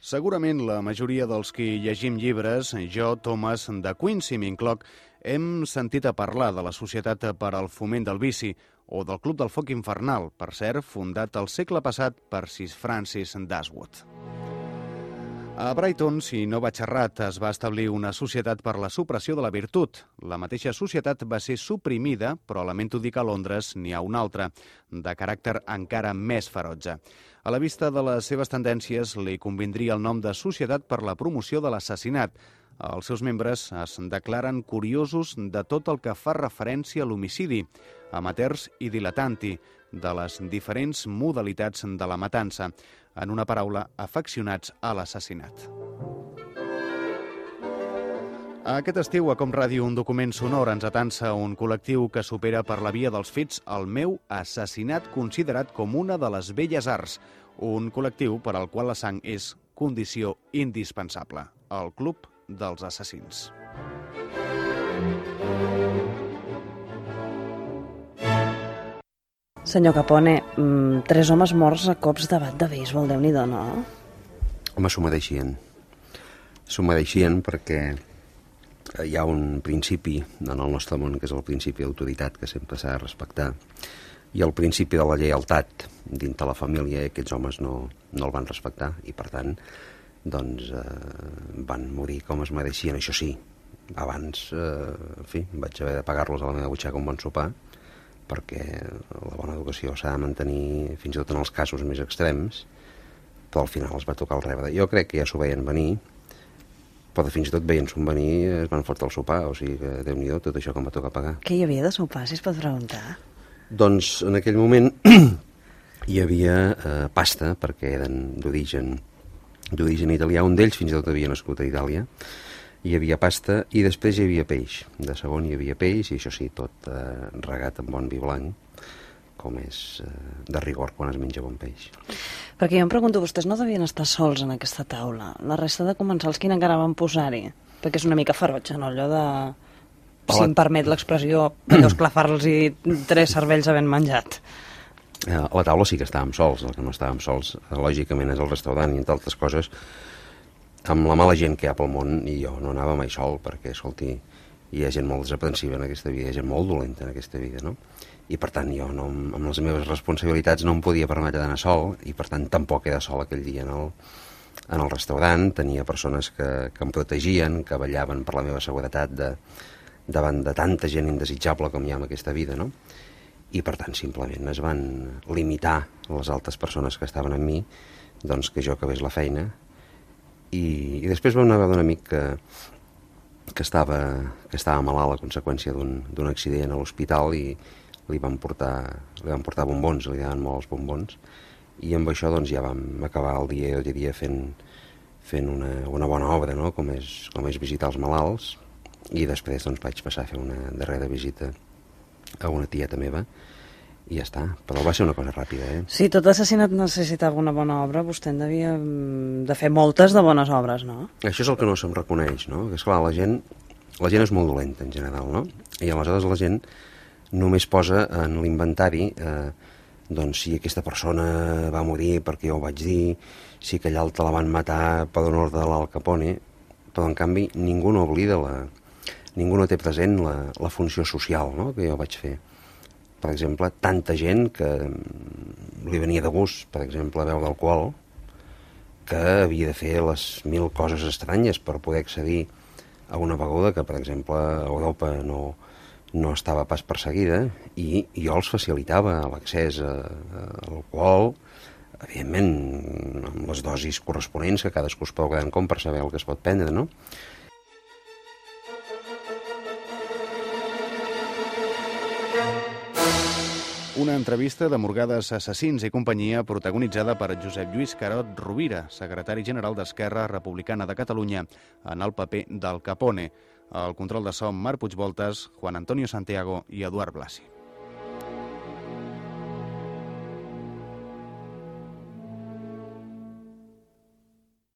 Segurament la majoria dels qui llegim llibres, jo, Thomas, de Quincy m'incloc, hem sentit a parlar de la Societat per al Foment del Vici o del Club del Foc Infernal, per cert, fundat al segle passat per Sir Francis Dashwood. A Brighton, si no vaig errat, es va establir una societat per la supressió de la virtut. La mateixa societat va ser suprimida, però lamento dir que a Londres n'hi ha una altra, de caràcter encara més ferotge. A la vista de les seves tendències, li convindria el nom de Societat per la Promoció de l'Assassinat. Els seus membres es declaren curiosos de tot el que fa referència a l'homicidi, amateurs i diletanti, de les diferents modalitats de la matança. En una paraula, afeccionats a l'assassinat. Aquest estiu, a Com Ràdio, un document sonor ens atansa un col·lectiu que supera per la via dels fets el meu assassinat considerat com una de les belles arts. Un col·lectiu per al qual la sang és condició indispensable. El Club dels Assassins. Senyor Capone, 3 homes morts a cops de bat de béisbol, Déu-n'hi-do, no? Home, s'ho mereixien. S'ho mereixien perquè hi ha un principi en el nostre món, que és el principi d'autoritat, que sempre s'ha de respectar, i el principi de la lleialtat dintre la família, i aquests homes no el van respectar, i per tant doncs, van morir com es mereixien. Això sí, abans vaig haver de pagar-los a la meva butxaca un bon sopar, perquè la bona educació s'ha de mantenir fins i tot en els casos més extrems, però al final es va tocar el rebre. Jo crec que ja s'ho veien venir, però fins i tot veient-s'ho venir es van fotre el sopar, o sigui que Déu-n'hi-do tot això que em va tocar pagar. Què hi havia de sopar, si es pot preguntar? Doncs en aquell moment hi havia pasta, perquè eren d'origen italià, un d'ells fins i tot havia nascut a Itàlia. Hi havia pasta i després hi havia peix. De segon hi havia peix i això sí, tot regat amb bon vi blanc, com és de rigor quan es menja bon peix. Perquè jo em pregunto, vostès no devien estar sols en aquesta taula. La resta de comensals, quina encara van posar-hi? Perquè és una mica ferotge, no? Allò de, si em permet l'expressió, allò esclafar-los i 3 cervells havent menjat. A la taula sí que estàvem sols. El que no estàvem sols, lògicament, és el restaurant i, entre altres coses, amb la mala gent que hi ha pel món, i jo no anava mai sol, perquè, escolti, hi ha gent molt desaprensiva en aquesta vida, hi ha gent molt dolenta en aquesta vida, no? I, per tant, jo amb les meves responsabilitats no em podia permetre d'anar sol, i, per tant, tampoc era sol aquell dia en el restaurant. Tenia persones que em protegien, que vetllaven per la meva seguretat davant de tanta gent indesitjable com hi ha en aquesta vida, no? I, per tant, simplement es van limitar les altres persones que estaven amb mi, doncs que jo acabés la feina. I després vam anar a veure un amic que estava malalt a conseqüència d'un accident a l'hospital i li van portar bombons, li anaven molt els bombons, i amb això doncs ja vam acabar el dia fent una bona obra, no? com és visitar els malalts, i després doncs vaig passar a fer una darrera visita a una tieta meva, i ja està, però va ser una cosa ràpida, Sí, tot assassinat necessitava una bona obra, vostè en devia de fer moltes de bones obres, no? Això és el que no se'm reconeix, no? Que, esclar, la gent és molt dolenta en general, no? I aleshores la gent només posa en l'inventari doncs si aquesta persona va morir perquè jo ho vaig dir, si aquella altra la van matar per un ordre de l'Al Capone, però en canvi ningú no oblida, ningú no té present la funció social, no? Que jo vaig fer. Per exemple, tanta gent que li venia de gust, per exemple, a beure alcohol, que havia de fer les 1000 coses estranyes per poder accedir a una beguda que, per exemple, a Europa no estava pas perseguida, i jo els facilitava l'accés a l'alcohol, evidentment, amb les dosis corresponents, que cadascú es pot quedar en com per saber el que es pot prendre, no? Una entrevista de Morgades Assassins i companyia protagonitzada per Josep Lluís Carot Rovira, secretari general d'Esquerra Republicana de Catalunya, en el paper d'Al Capone. Al control de so, Marc Puigvoltes, Juan Antonio Santiago i Eduard Blasi.